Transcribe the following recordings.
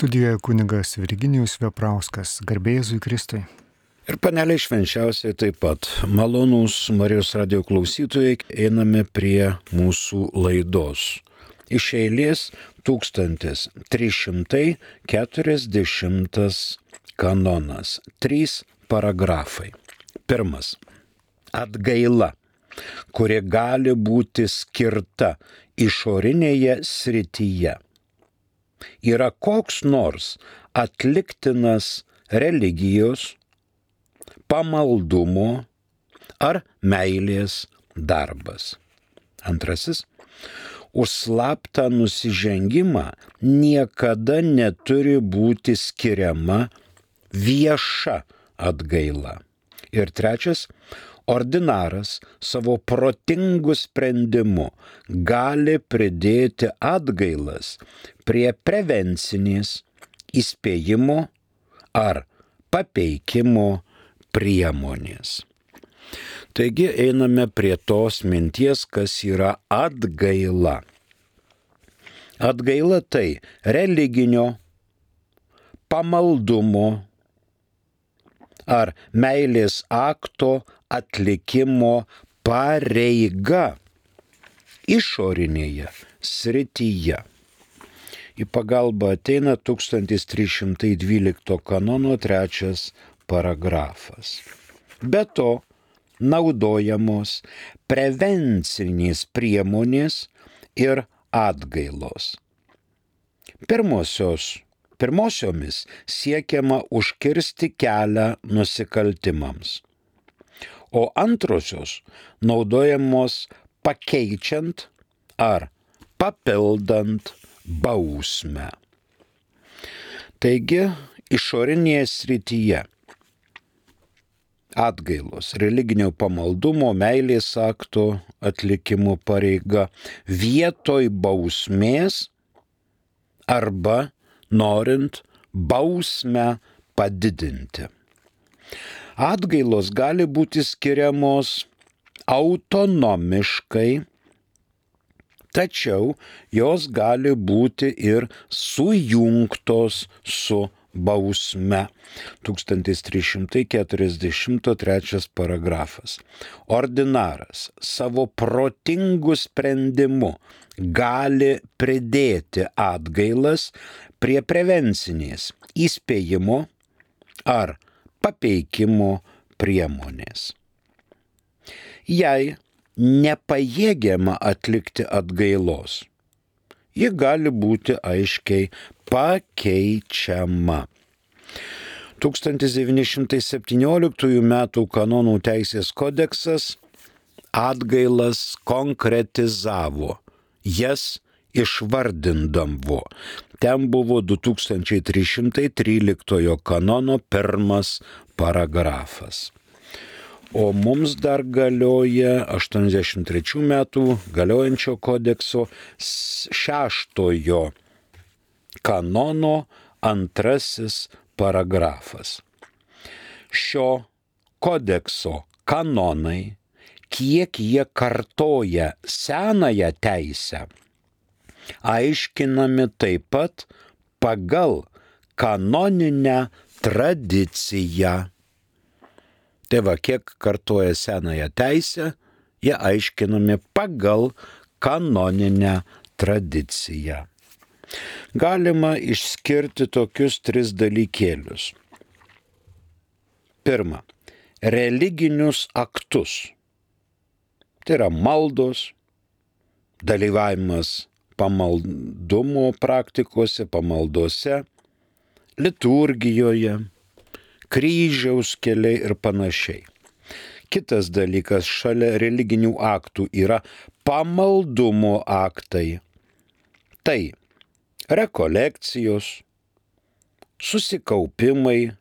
Studijoje kunigas Virginijus Veprauskas, garbė Jėzui Kristui. Ir paneliai švenčiausiai taip pat. Malonūs Marijos radijo klausytojai, einame prie mūsų laidos. Iš eilės 1340 kanonas. 3 paragrafai. Pirmas. Atgaila, kuri gali būti skirta išorinėje srityje, yra koks nors atliktinas religijos, pamaldumo ar meilės darbas. Antrasis. Už slaptą nusižengimą niekada neturi būti skiriama vieša atgaila. Ir trečias. Ordinaras savo protingu sprendimu gali pridėti atgailas prie prevencinės, įspėjimo ar papeikimo priemonės. Taigi einame prie tos minties, kas yra atgaila. Atgaila tai religinio, pamaldumo ar meilės akto atlikimo pareiga išorinėje srityje. Į pagalbą ateina 1312 kanono 3 paragrafas. Be to, naudojamos prevencinės priemonės ir atgailos. Pirmosiomis siekiama užkirsti kelią nusikaltimams, o antrosios naudojamos pakeičiant ar papildant bausmę. Taigi, išorinėje srityje atgailos, religinio pamaldumo, meilės akto atlikimo pareiga vietoj bausmės arba norint bausmę padidinti. Atgailos gali būti skiriamos autonomiškai, tačiau jos gali būti ir sujungtos su bausme. 1343 paragrafas. Ordinaras savo protingu sprendimu gali pridėti atgailas prie prevencinės, įspėjimo ar papeikimo priemonės. Jei nepajėgiama atlikti atgailos, ji gali būti aiškiai pakeičiama. 1917 m. kanonų teisės kodeksas atgailas konkretizavo, jas išvardindavo. Ten buvo 2313 kanono 1 paragrafas. O mums dar galioja 83 metų galiojančio kodekso 6 kanono 2 paragrafas. Šio kodekso kanonai, kiek jie kartoja senąją teisę, aiškinami taip pat pagal kanoninę tradiciją. Tai va, kiek kartoja senąją teisę, jie aiškinami pagal kanoninę tradiciją. Galima išskirti tokius 3 dalykėlius. Pirma, religinius aktus. Tai yra maldos, dalyvavimas pamaldumo praktikose, pamaldose, liturgijoje, kryžiaus keliai ir panašiai. Kitas dalykas šalia religinių aktų yra pamaldumo aktai. Tai rekolekcijos, susikaupimai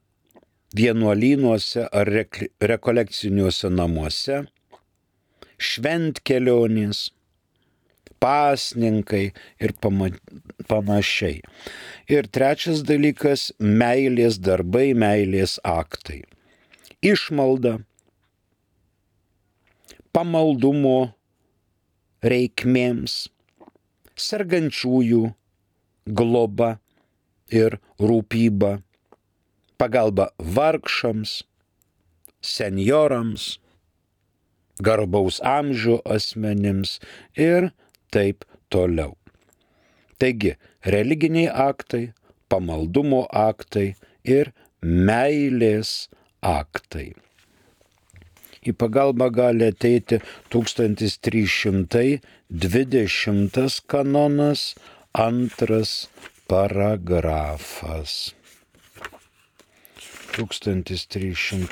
vienuolynuose ar rekolekciniuose namuose, šventkelionės, pasninkai ir panašiai. Ir trečias dalykas – meilės darbai, meilės aktai. Išmalda, pamaldumo reikmėms, sergančiųjų globa ir rūpyba, pagalba vargšams, senjorams, garbaus amžiaus asmenims ir taip toliau. Taigi, religiniai aktai, pamaldumo aktai ir meilės aktai. Į pagalbą gali ateiti 1320 kanonas, 2 paragrafas. 1328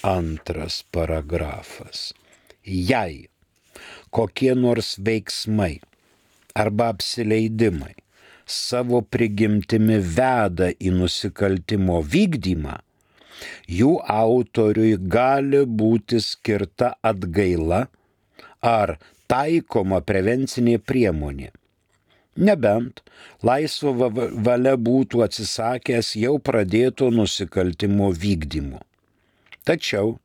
2 paragrafas. Jei kokie nors veiksmai arba apsileidimai savo prigimtimi veda į nusikaltimo vykdymą, jų autoriui gali būti skirta atgaila ar taikoma prevencinė priemonė, nebent laisva valia būtų atsisakęs jau pradėto nusikaltimo vykdymo. Tačiau,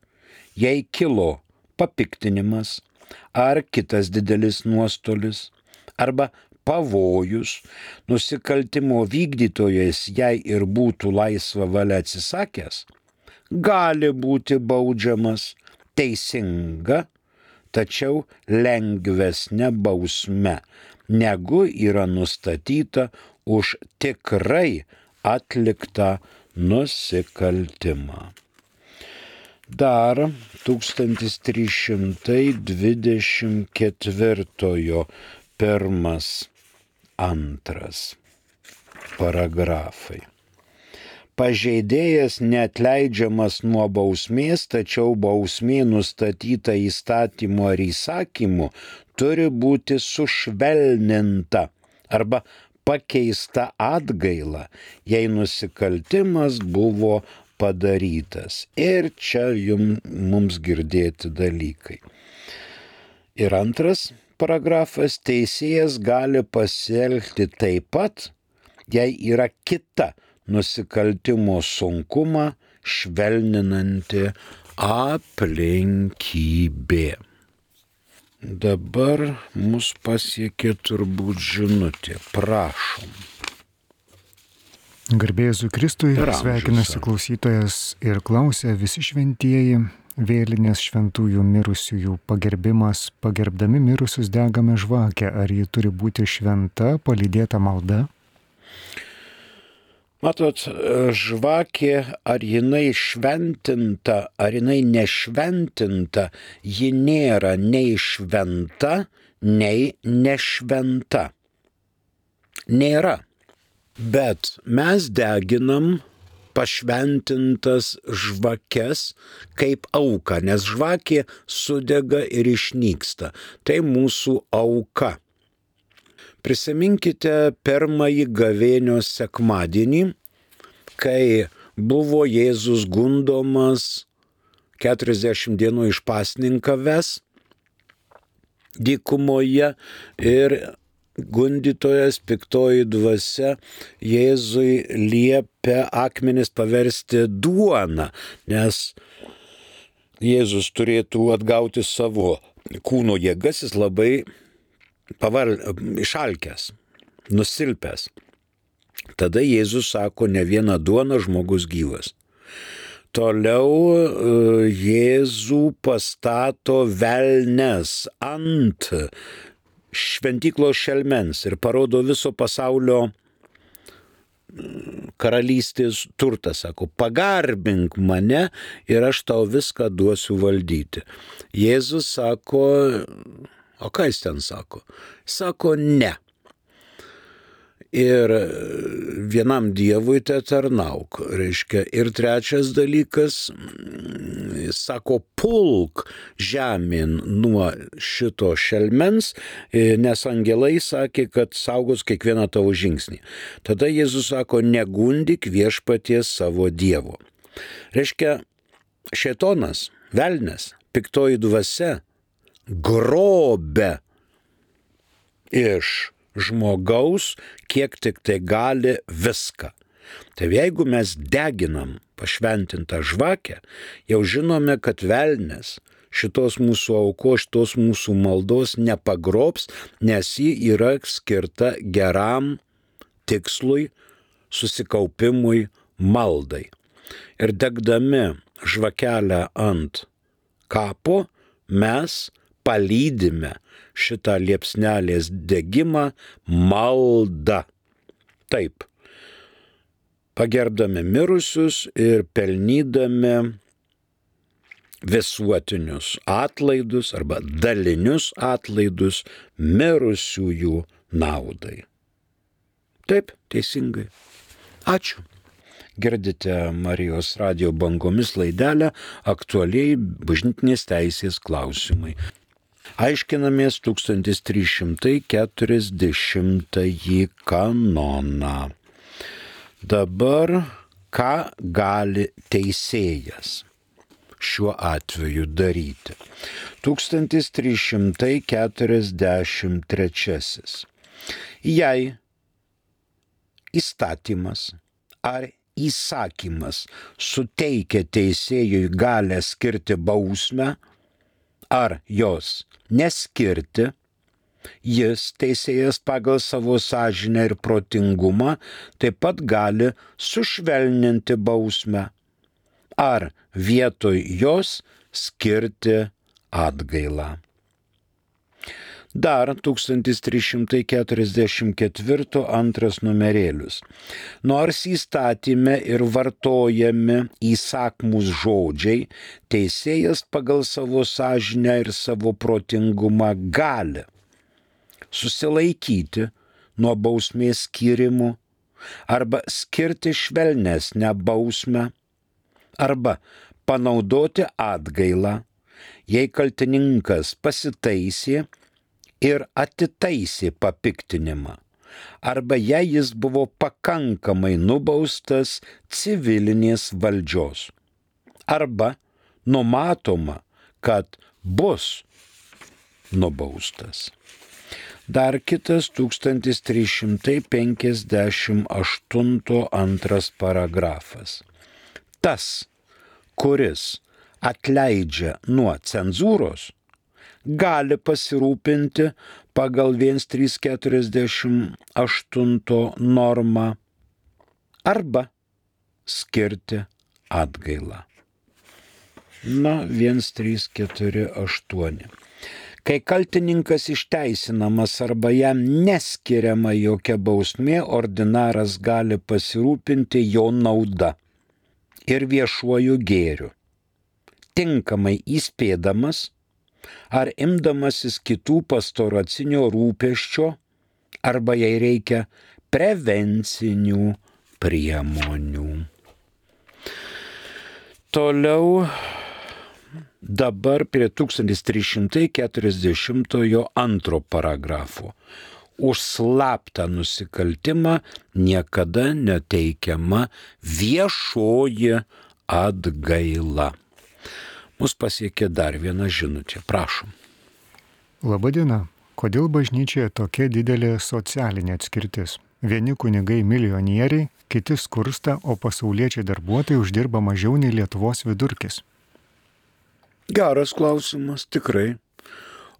jei kilo papiktinimas ar kitas didelis nuostolis arba pavojus, nusikaltimo vykdytojas, jei ir būtų laisva valia atsisakęs, gali būti baudžiamas teisinga, tačiau lengvesnė bausme, negu yra nustatyta už tikrai atliktą nusikaltimą. Dar 1324 1-2 paragrafai. Pažeidėjas neatleidžiamas nuo bausmės, tačiau bausmė nustatyta įstatymu ar įsakymu turi būti sušvelninta arba pakeista atgaila, jei nusikaltimas buvo padarytas. Ir čia mums girdėti dalykai. Ir 2 paragrafas, teisėjas gali pasielgti taip pat, jei yra kita nusikaltimo sunkumą švelninanti aplinkybė. Dabar mus pasiekė turbūt žinutė. Prašom. Garbė Jėzui Kristui, sveikinasi klausytojas ir klausia: visi šventieji, vėlinės šventųjų mirusiųjų pagerbimas, pagerbdami mirusius degame žvakę, ar ji turi būti šventa, palydėta malda? Matot, žvakė, ar jinai šventinta, ar jinai nešventinta, ji nėra nei šventa, nei nešventa. Nėra. Bet mes deginam pašventintas žvakes kaip auką, nes žvakė sudega ir išnyksta. Tai mūsų auka. Prisiminkite pirmąjį gavėnios sekmadienį, kai buvo Jėzus gundomas 40 dienų išpasninkavęs dykumoje ir gundytojas, piktoji dvasia, Jėzui liepia akmenis paversti duona, nes Jėzus turėtų atgauti savo kūno jėgas, jis labai išalkęs, nusilpęs. Tada Jėzus sako, ne viena duona, žmogus gyvas. Toliau Jėzų pastato velnes ant šventyklos šelmens ir parodo viso pasaulio karalystės turtą, sako, pagarbink mane ir aš tau viską duosiu valdyti. Jėzus sako, o ką jis ten sako? Sako, ne. Ir vienam dievui te tarnauk, reiškia. Ir trečias dalykas, jis sako, pulk žemėn nuo šito šelmens, nes angelai sakė, kad saugos kiekvieną tavo žingsnį. Tada Jėzus sako, negundyk viešpaties savo dievo. Reiškia, šėtonas, velnias, piktoji dvasia grobia iš žmogaus, kiek tik tai gali viską. Tai jeigu mes deginam pašventintą žvakę, jau žinome, kad velnias šitos mūsų aukos, šitos mūsų maldos nepagrobs, nes ji yra skirta geram tikslui, susikaupimui, maldai. Ir degdami žvakelę ant kapo, mes palydime šitą liepsnelės degimą malda. Taip, pagerbdami mirusius ir pelnydami visuotinius atlaidus arba dalinius atlaidus mirusiųjų naudai. Taip, teisingai. Ačiū. Girdite Marijos radijo bangomis laidelę Aktualiai bažnytinės teisės klausimai. Aiškinamės 1340 kanoną. Dabar ką gali teisėjas šiuo atveju daryti? 1343. Jei įstatymas ar įsakymas suteikia teisėjui galę skirti bausmę ar jos neskirti, jis, teisėjas, pagal savo sąžinę ir protingumą taip pat gali sušvelninti bausmę ar vietoj jos skirti atgailą. Dar 1344 antras numerėlius. Nors įstatyme ir vartojami įsakmūs žodžiai, teisėjas pagal savo sąžinę ir savo protingumą gali susilaikyti nuo bausmės skyrimo arba skirti švelnesnę bausmę arba panaudoti atgailą, jei kaltininkas pasitaisė ir atitaisė papiktinimą, arba jei jis buvo pakankamai nubaustas civilinės valdžios, arba numatoma, kad bus nubaustas. Dar kitas 1358 antras paragrafas. Tas, kuris atleidžia nuo cenzūros, gali pasirūpinti pagal 1348 normą arba skirti atgailą. 1348. Kai kaltininkas išteisinamas arba jam neskiriama jokia bausmė, ordinaras gali pasirūpinti jo nauda ir viešuoju gėriu, tinkamai įspėdamas ar imdamasis kitų pastoracinio rūpesčio, arba jei reikia prevencinių priemonių. Toliau dabar prie 1340 paragrafo. Už slaptą nusikaltimą niekada neteikiama viešoji atgaila. Mus pasiekė dar viena žinutė. Prašom. Labadiena. Kodėl bažnyčioje tokia didelė socialinė atskirtis? Vieni kunigai milijonieriai, kiti skursta, o pasauliečiai darbuotojai uždirba mažiau nei Lietuvos vidurkis. Geras klausimas, tikrai.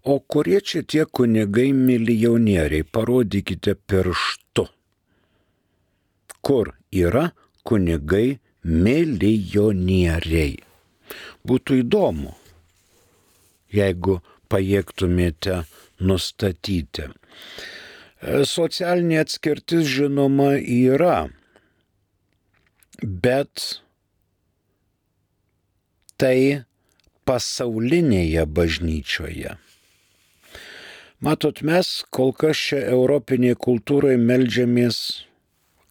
O kurie čia tie kunigai milijonieriai? Parodykite pirštu. Kur yra kunigai milijonieriai? Būtų įdomu, jeigu pajėgtumėte nustatyti. Socialinė atskirtis, žinoma, yra, bet tai pasaulinėje bažnyčioje. Matot, mes kol kas čia europinėje kultūroje meldžiamės,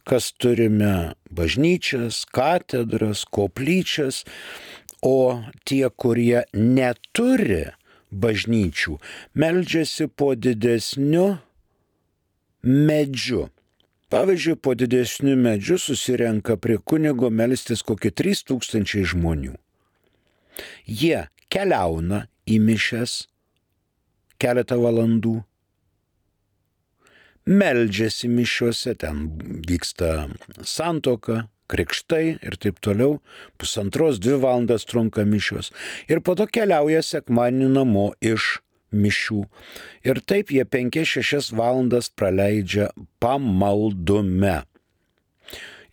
kas turime bažnyčias, katedras, koplyčias, o tie, kurie neturi bažnyčių, meldžiasi po didesniu medžiu. Pavyzdžiui, po didesniu medžiu susirenka prie kunigo melstis kokie 3000 žmonių. Jie keliauna į mišias keletą valandų, meldžiasi mišiuose, ten vyksta santuoka, krikštai ir taip toliau, 1,5–2 valandas trunka mišios. Ir po to keliauja sekmadienį namo iš mišių. Ir taip jie 5–6 valandas praleidžia pamaldume.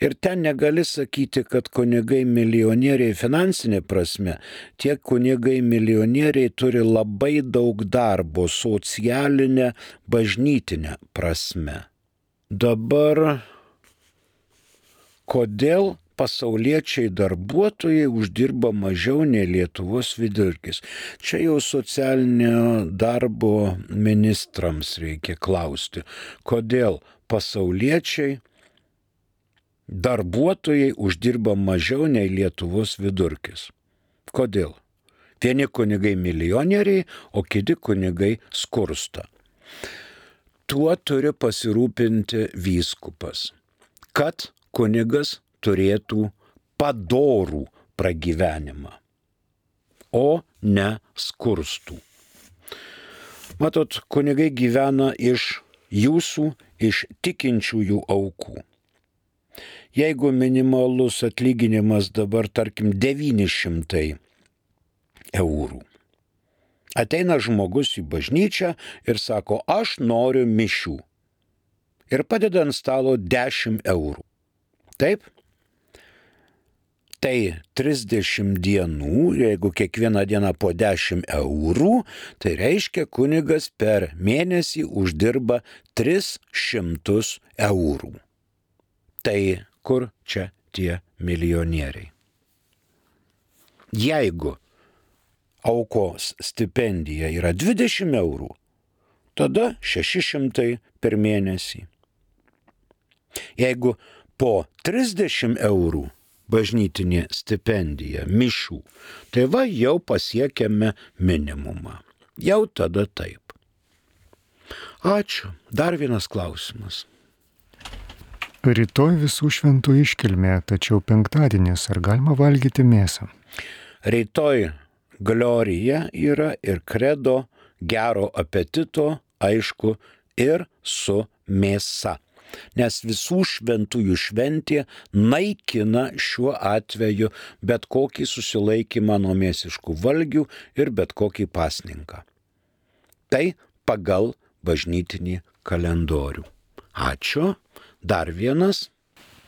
Ir ten negali sakyti, kad kunigai milijonieriai finansinė prasme, tie kunigai milijonieriai turi labai daug darbo socialinę, bažnytinę prasme. Dabar, kodėl pasauliečiai darbuotojai uždirba mažiau nei Lietuvos vidurkis? Čia jau socialinio darbo ministrams reikia klausti, kodėl pasauliečiai darbuotojai uždirba mažiau nei Lietuvos vidurkis. Kodėl? Vieni kunigai milijonieriai, o kiti kunigai skursta. Tuo turi pasirūpinti vyskupas, kad kunigas turėtų padorų pragyvenimą, o ne skurstų. Matot, kunigai gyvena iš jūsų, iš tikinčiųjų aukų. Jeigu minimalus atlyginimas dabar, tarkim, 900 eurų, ateina žmogus į bažnyčią ir sako, aš noriu mišių. Ir padeda ant stalo 10 eurų. Taip? Tai 30 dienų, jeigu kiekvieną dieną po 10 eurų, tai reiškia kunigas per mėnesį uždirba 300 eurų. Tai kur čia tie milijonieriai? Jeigu aukos stipendija yra 20 eurų, tada 600 per mėnesį. Jeigu po 30 eurų bažnytinė stipendija mišių, tai va jau pasiekėme minimumą. Jau tada taip. Ačiū. Dar vienas klausimas. Rytoj visų šventų iškilmė, tačiau penktadienis, ar galima valgyti mėsą? Rytoj glorija yra ir kredo, gero apetito, aišku, ir su mėsa. Nes visų šventųjų šventė naikina šiuo atveju bet kokį susilaikymą nuo mėsiškų valgių ir bet kokį pasninką. Tai pagal bažnytinį kalendorių. Ačiū. Dar vienas.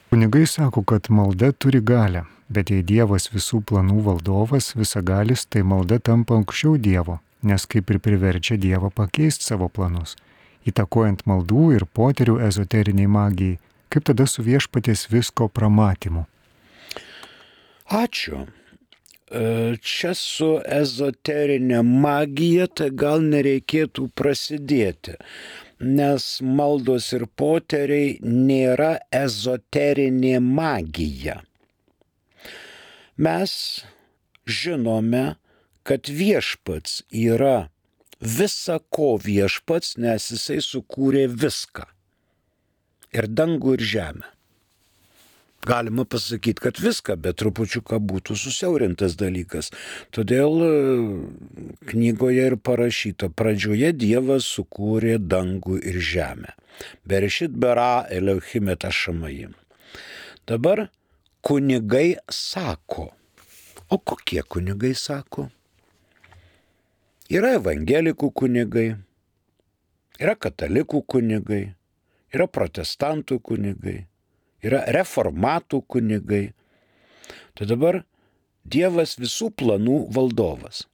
Kunigai sako, kad malda turi galią, bet jei Dievas visų planų valdovas, visagalis, tai malda tampa aukščiau Dievo, nes kaip ir priverčia Dievą pakeisti savo planus, įtakojant maldų ir poterių ezoteriniai magijai, kaip tada su viešpaties visko pramatymu. Ačiū. Čia su ezoterinė magija tai gal nereikėtų prasidėti, nes maldos ir poteriai nėra ezoterinė magija. Mes žinome, kad viešpats yra visa ko viešpats, nes jisai sukūrė viską. Ir dangų, ir žemę. Galima pasakyti, kad viską, bet trupučiuką būtų susiaurintas dalykas. Todėl knygoje ir parašyta, pradžioje Dievas sukūrė dangų ir žemę. Berešit bara Elohim et hašamayim. Dabar kunigai sako. O kokie kunigai sako? Yra evangelikų kunigai, yra katalikų kunigai, yra protestantų kunigai. Yra reformatų kunigai. Tai dabar Dievas visų planų valdovas.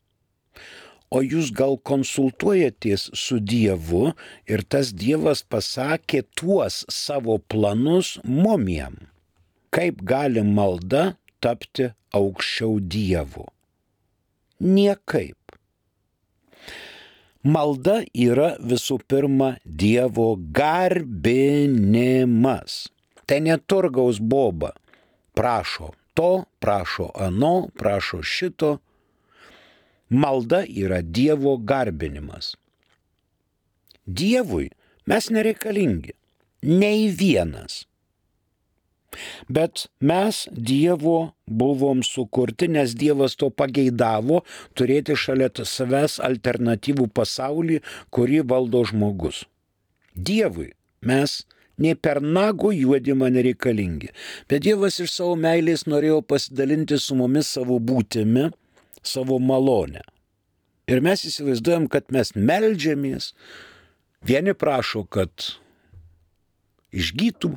O jūs gal konsultuojatės su Dievu ir tas Dievas pasakė tuos savo planus mumiem. Kaip gali malda tapti aukščiau Dievo? Niekaip. Malda yra visų pirma Dievo garbinimas. Tai neturgaus boba. Prašo to, prašo ano, prašo šito. Malda yra Dievo garbinimas. Dievui mes nereikalingi. Nei vienas. Bet mes Dievo buvom sukurti, nes Dievas to pageidavo turėti šalia savęs alternatyvų pasaulį, kurį valdo žmogus. Dievui Mes nei per nago juodimą nereikalingi. Bet Dievas iš savo meilės norėjo pasidalinti su mumis savo būtimi, savo malonę. Ir mes įsivaizduojam, kad mes meldžiamės. Vieni prašo, kad išgytų,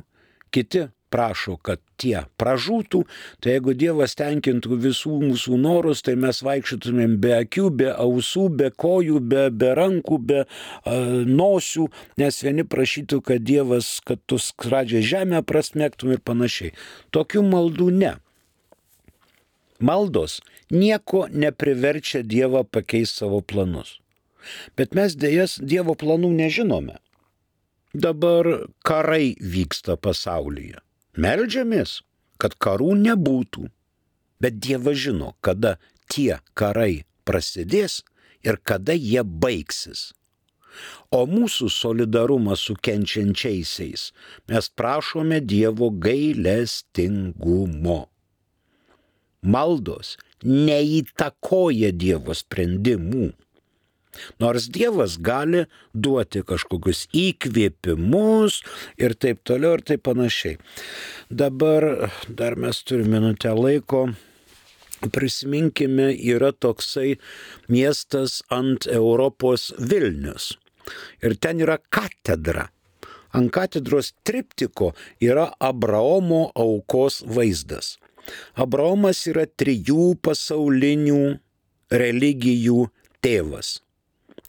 kiti prašo, kad tie pražūtų. Tai jeigu Dievas tenkintų visų mūsų norus, tai mes vaikščiotumėm be akių, be ausų, be kojų, be rankų, be nosių, nes vieni prašytų, kad Dievas, kad tu skradžią žemę prasmegtum ir panašiai. Tokių maldų ne. Maldos nieko nepriverčia Dievą pakeisti savo planus. Bet mes dėjas Dievo planų nežinome. Dabar karai vyksta pasaulyje. Meldžiamės, kad karų nebūtų. Bet Dievas žino, kada tie karai prasidės ir kada jie baigsis. O mūsų solidarumas su kenčiančiaisiais mes prašome Dievo gailestingumo. Maldos neįtakoja Dievo sprendimų. Nors Dievas gali duoti kažkokius įkvėpimus ir taip toliau ir taip panašiai. Dabar dar mes turime minutę laiko. Prisiminkime, yra toksai miestas ant Europos Vilnius. Ir ten yra katedra. Ant katedros triptiko yra Abraomo aukos vaizdas. Abraomas yra 3 pasaulinių religijų tėvas.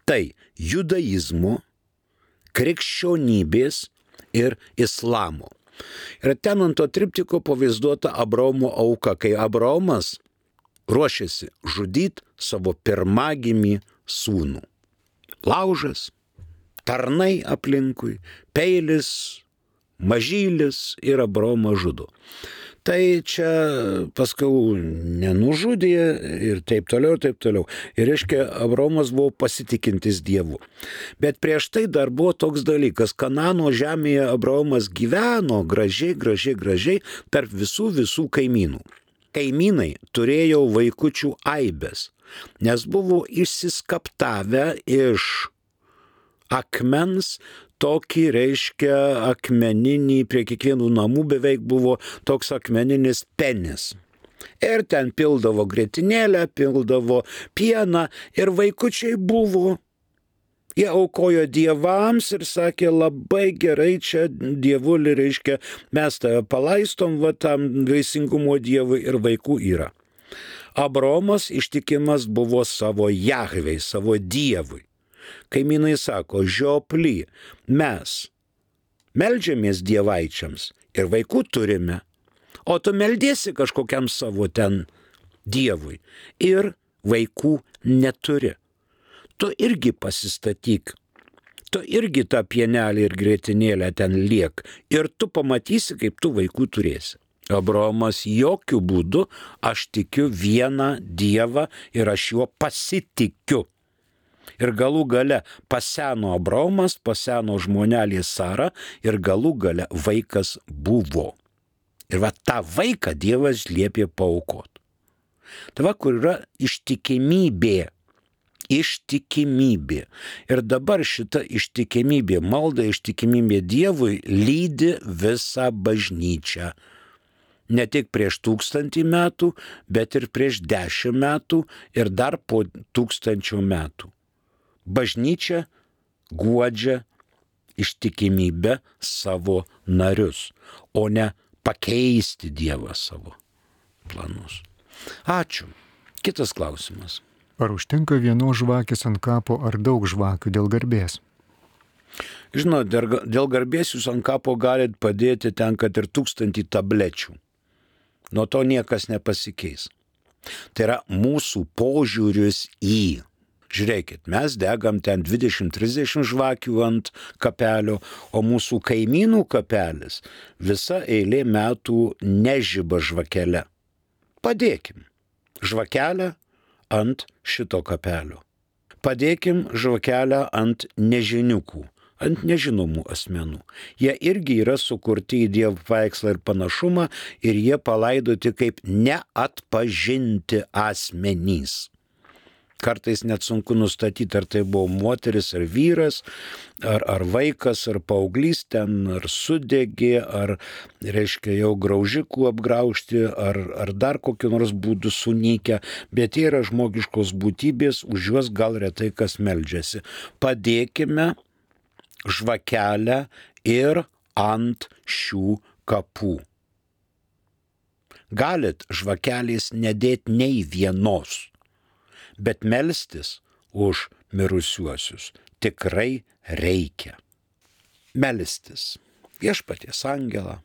Tai judaizmo, krikščionybės ir islamo. Ir ten ant to triptiko pavaizduota Abraomo auka, kai Abraomas ruošiasi žudyti savo pirmagimį sūnų. Laužas, tarnai aplinkui, peilis, mažylis ir Abraomą žudo. Tai čia paskui nenužudė ir taip toliau, ir taip toliau. Ir reiškia, Abraomas buvo pasitikintis Dievu. Bet prieš tai dar buvo toks dalykas. Kanano žemėje Abraomas gyveno gražiai tarp visų kaimynų. Kaimynai turėjo vaikučių aibes, nes buvo išsiskaptavę iš akmens, tokį reiškia akmeninį, prie kiekvienų namų beveik buvo toks akmeninis penis. Ir ten pildavo grietinėlę, pildavo pieną ir vaikučiai buvo. Jie aukojo dievams ir sakė, labai gerai čia dievulį, reiškia, mes tave palaistom, va tam vaisingumo dievui ir vaikų yra. Abraomas ištikimas buvo savo Jahvei, savo dievui. Kaimynai sako, žioply, mes meldžiamės dievaičiams ir vaikų turime, o tu meldiesi kažkokiam savo ten dievui ir vaikų neturi. Tu irgi pasistatyk, tu irgi tą pienelį ir grietinėlę ten liek ir tu pamatysi, kaip tu vaikų turėsi. Abraomas jokių būdų, aš tikiu vieną dievą ir aš juo pasitikiu. Ir galų gale paseno Abraomas, paseno žmonelė Sara ir galų gale vaikas buvo. Ir va tą vaiką Dievas liepė paaukoti. Tai va, kur yra ištikimybė. Ištikimybė. Ir dabar šita ištikimybė, malda ištikimybė Dievui lydi visą bažnyčią. Ne tik prieš 1000 metų, bet ir prieš 10 metų ir dar po 1000 metų. Bažnyčia guodžia ištikimybę savo narius, o ne pakeisti Dievą savo planus. Ačiū. Kitas klausimas. Ar užtenka vienos žvakės ant kapo ar daug žvakių dėl garbės? Žinot, dėl garbės jūs ant kapo galit padėti ten, kad ir 1000 tablečių. Nuo to niekas nepasikeis. Tai yra mūsų požiūris į. Žiūrėkit, mes degam ten 20-30 žvakių ant kapelio, o mūsų kaimynų kapelis visa eilė metų nežiba žvakelę. Padėkim žvakelę ant šito kapelio. Padėkim žvakelę ant nežiniukų, ant nežinomų asmenų. Jie irgi yra sukurti į Dievo paveikslą ir panašumą ir jie palaidoti kaip neatpažinti asmenys. Kartais net sunku nustatyti, ar tai buvo moteris, ar vyras, ar vaikas, ar paauglys ten, ar sudegė, ar, reiškia, jau graužikų apgraužti, ar dar kokiu nors būdu sunykę, bet jie yra žmogiškos būtybės, už juos gal retai kas meldžiasi. Padėkime žvakelę ir ant šių kapų. Galit žvakelės nedėti nei vienos, bet melstis už mirusiuosius tikrai reikia. Melstis viešpaties angelą,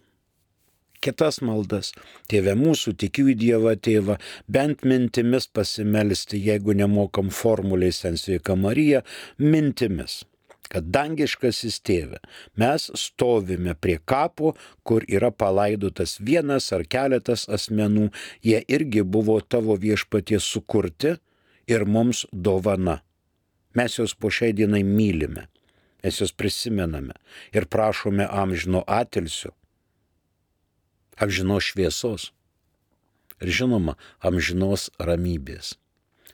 kitas maldas, Tėve mūsų, tikiu į Dievą Tėvą, bent mintimis pasimelsti, jeigu nemokam formuliais ten Sveika Marija, mintimis. Kad dangiškasis Tėve, mes stovime prie kapo, kur yra palaidotas vienas ar keletas asmenų, jie irgi buvo tavo viešpaties sukurti ir mums dovana. Mes juos po šiai dienai mylime, mes juos prisimename ir prašome amžino atilsio, amžinos šviesos ir žinoma amžinos ramybės.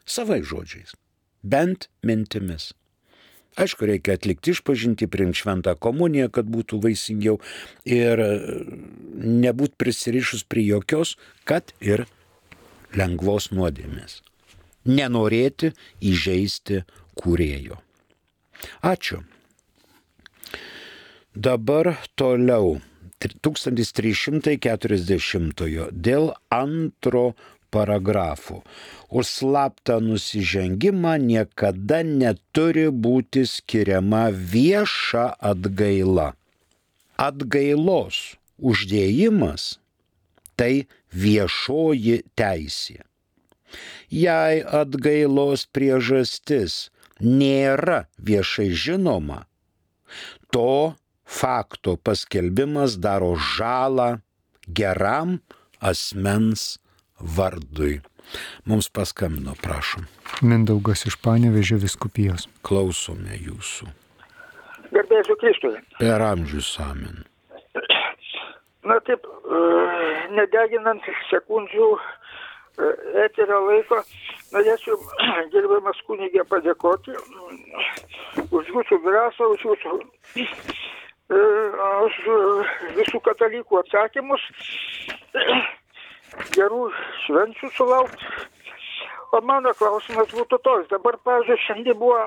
Savai žodžiais, bent mintimis. Aišku, reikia atlikti išpažintį, priimti šventą komuniją, kad būtų vaisingiau ir nebūt prisirišus prie jokios, kad ir lengvos nuodėmės. Nenorėti įžeisti kūrėjo. Ačiū. Dabar toliau. 1340 dėl antro paragrafų. Už slaptą nusižengimą niekada neturi būti skiriama vieša atgaila. Atgailos uždėjimas tai viešoji teisė. Jei atgailos priežastis nėra viešai žinoma, to fakto paskelbimas daro žalą geram asmens vardui. Mums paskambino, prašom. Mindaugas iš Panevėžio vyskupijos. Klausome jūsų. Garbėsiu Kristui. Per amžius amen. Na taip, nedeginant sekundžių eterio laiko, norėčiau gerbiamas kunigė padėkoti už jūsų drąsą, už jūsų už visų katalikų atsakymus. Gerų švenčių sulaukti. O mano klausimas būtų toks. Dabar, pavyzdžiui, šiandien buvo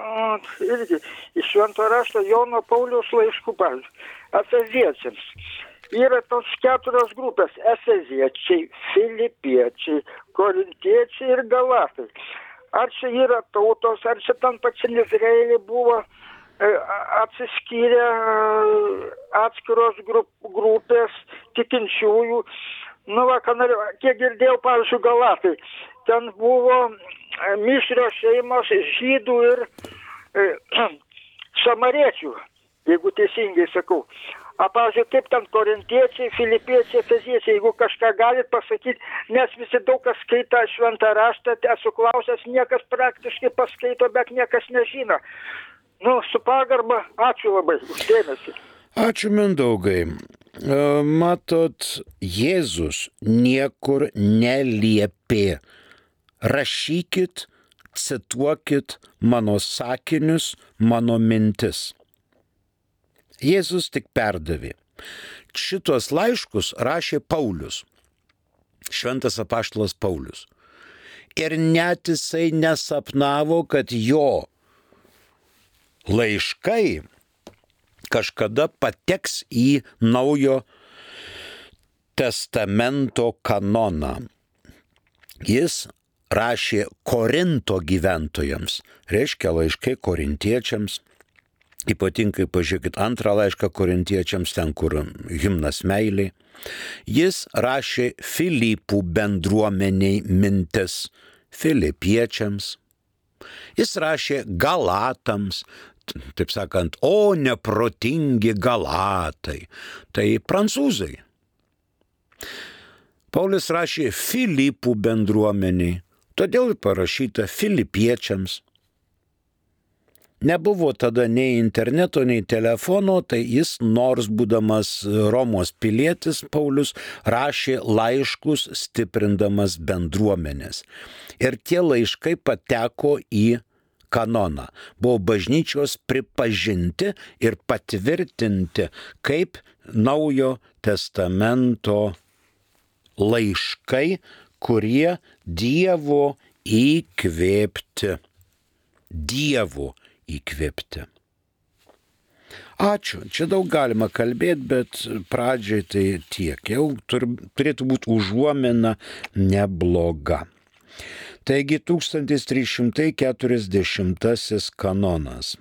irgi iš Švento rašto Jono Pauliaus laiškų, pavyzdžiui, efeziečiams. Yra tos 4 grupės - efeziečiai, filipiečiai, korintiečiai ir galatai. Ar čia yra tautos, ar čia tam pačiam Izraelį buvo atsiskyrę atskiros grupės tikinčiųjų. Nu, kiek girdėjau, pavyzdžiui, galatai. Ten buvo mišrios šeimos žydų ir samariečių, jeigu teisingai sakau. A, pavyzdžiui, kaip ten korintiečiai, filipiečiai, efeziečiai, jeigu kažką galit pasakyti, nes visi daug kas skaito šventą raštą, esu klausęs, niekas praktiškai paskaito, bet niekas nežino. Nu, su pagarba, ačiū labai už dėmesį. Ačiū, Mindaugai. Matot, Jėzus niekur neliepė. Rašykit, cituokit mano sakinius, mano mintis. Jėzus tik perdavė. Šitos laiškus rašė Paulius, šventas apaštalas Paulius. Ir net jisai nesapnavo, kad jo laiškai kažkada pateks į Naujo testamento kanoną. Jis rašė Korinto gyventojams, reiškia laiškai korintiečiams, ypatingai pažiūrėkit antrą laišką korintiečiams, ten kur himnas meiliai. Jis rašė Filipų bendruomeniai mintis, filipiečiams. Jis rašė galatams, taip sakant, o neprotingi galatai, tai prancūzai. Paulius rašė Filipų bendruomeniai, todėl parašyta filipiečiams. Nebuvo tada nei interneto, nei telefono, tai jis, nors būdamas Romos pilietis, Paulius rašė laiškus stiprindamas bendruomenės. Ir tie laiškai pateko į kanoną. Buvo bažnyčios pripažinti ir patvirtinti kaip Naujo testamento laiškai, kurie Dievo įkvėpti. Ačiū. Čia daug galima kalbėti, bet pradžiai tai tiek. Jau turėtų būti užuomina nebloga. Taigi 1340 kanonas.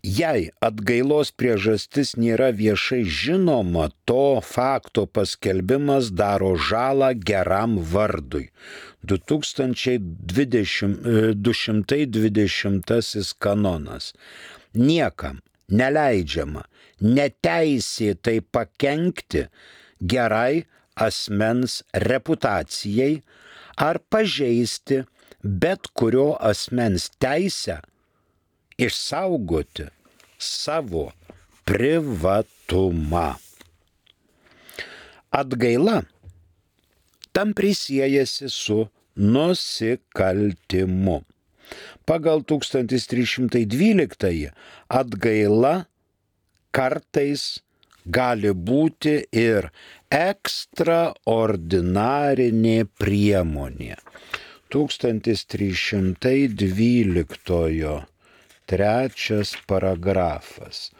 Jei atgailos priežastis nėra viešai žinoma, to fakto paskelbimas daro žalą geram vardui. 220 kanonas. Niekam neleidžiama neteisėtai pakenkti gerai asmens reputacijai ar pažeisti bet kurio asmens teisę išsaugoti savo privatumą. Atgaila tampriai siejasi su nusikaltimu. Pagal 1312 atgaila kartais gali būti ir ekstraordinarinė priemonė. 1312 trečias paragrafas.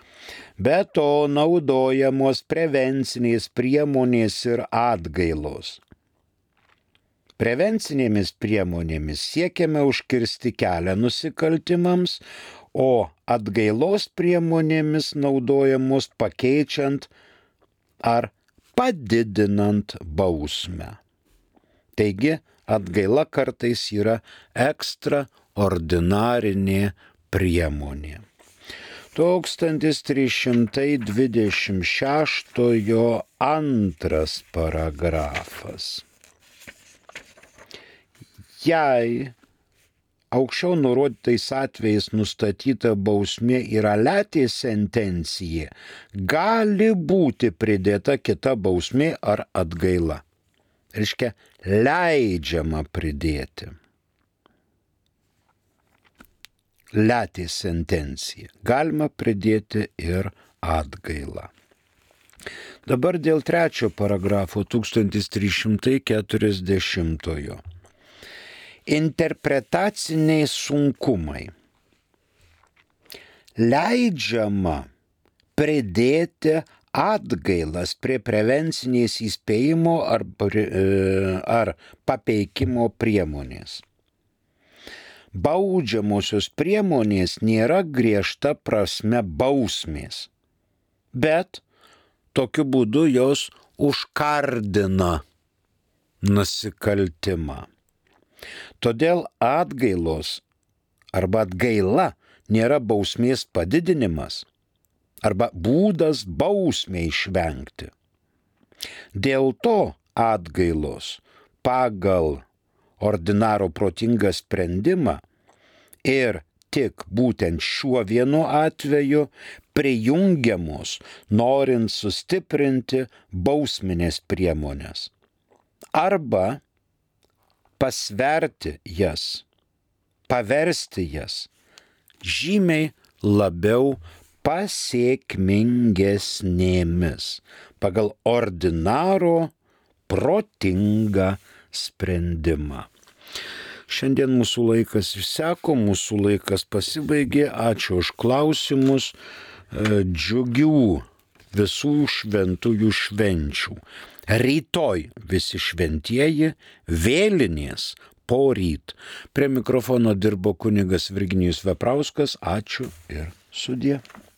Be to naudojamos prevencinės priemonės ir atgailos. Prevencinėmis priemonėmis siekiame užkirsti kelią nusikaltimams, o atgailos priemonėmis naudojamos pakeičiant ar padidinant bausmę. Taigi, atgaila kartais yra ekstraordinarinė priemonė. 1326 antras paragrafas. Jei aukščiau nurodytais atvejais nustatyta bausmė yra letė sentencija, gali būti pridėta kita bausmė ar atgaila. Reiškia, leidžiama pridėti. Letė sentencija. Galima pridėti ir atgailą. Dabar dėl trečio paragrafo 1340. Interpretaciniai sunkumai. Leidžiama pridėti atgailas prie prevencinės įspėjimo ar papeikimo priemonės. Baudžiamosios priemonės nėra griežta prasme bausmės, bet tokiu būdu jos užkardina nusikaltimą. Todėl atgailos arba atgaila nėra bausmės padidinimas arba būdas bausmę išvengti. Dėl to atgailos pagal ordinaro protingą sprendimą ir tik būtent šiuo vienu atveju prijungiamos, norint sustiprinti bausminės priemonės arba pasverti jas, paversti jas žymiai labiau pasiekmingesnėmis pagal ordinaro protingą sprendimą. Šiandien mūsų laikas išseko, mūsų laikas pasibaigė. Ačiū už klausimus. Džiugių visų šventųjų švenčių. Rytoj visi šventieji, vėlinės poryt. Prie mikrofono dirbo kunigas Virginijus Veprauskas. Ačiū ir sudie.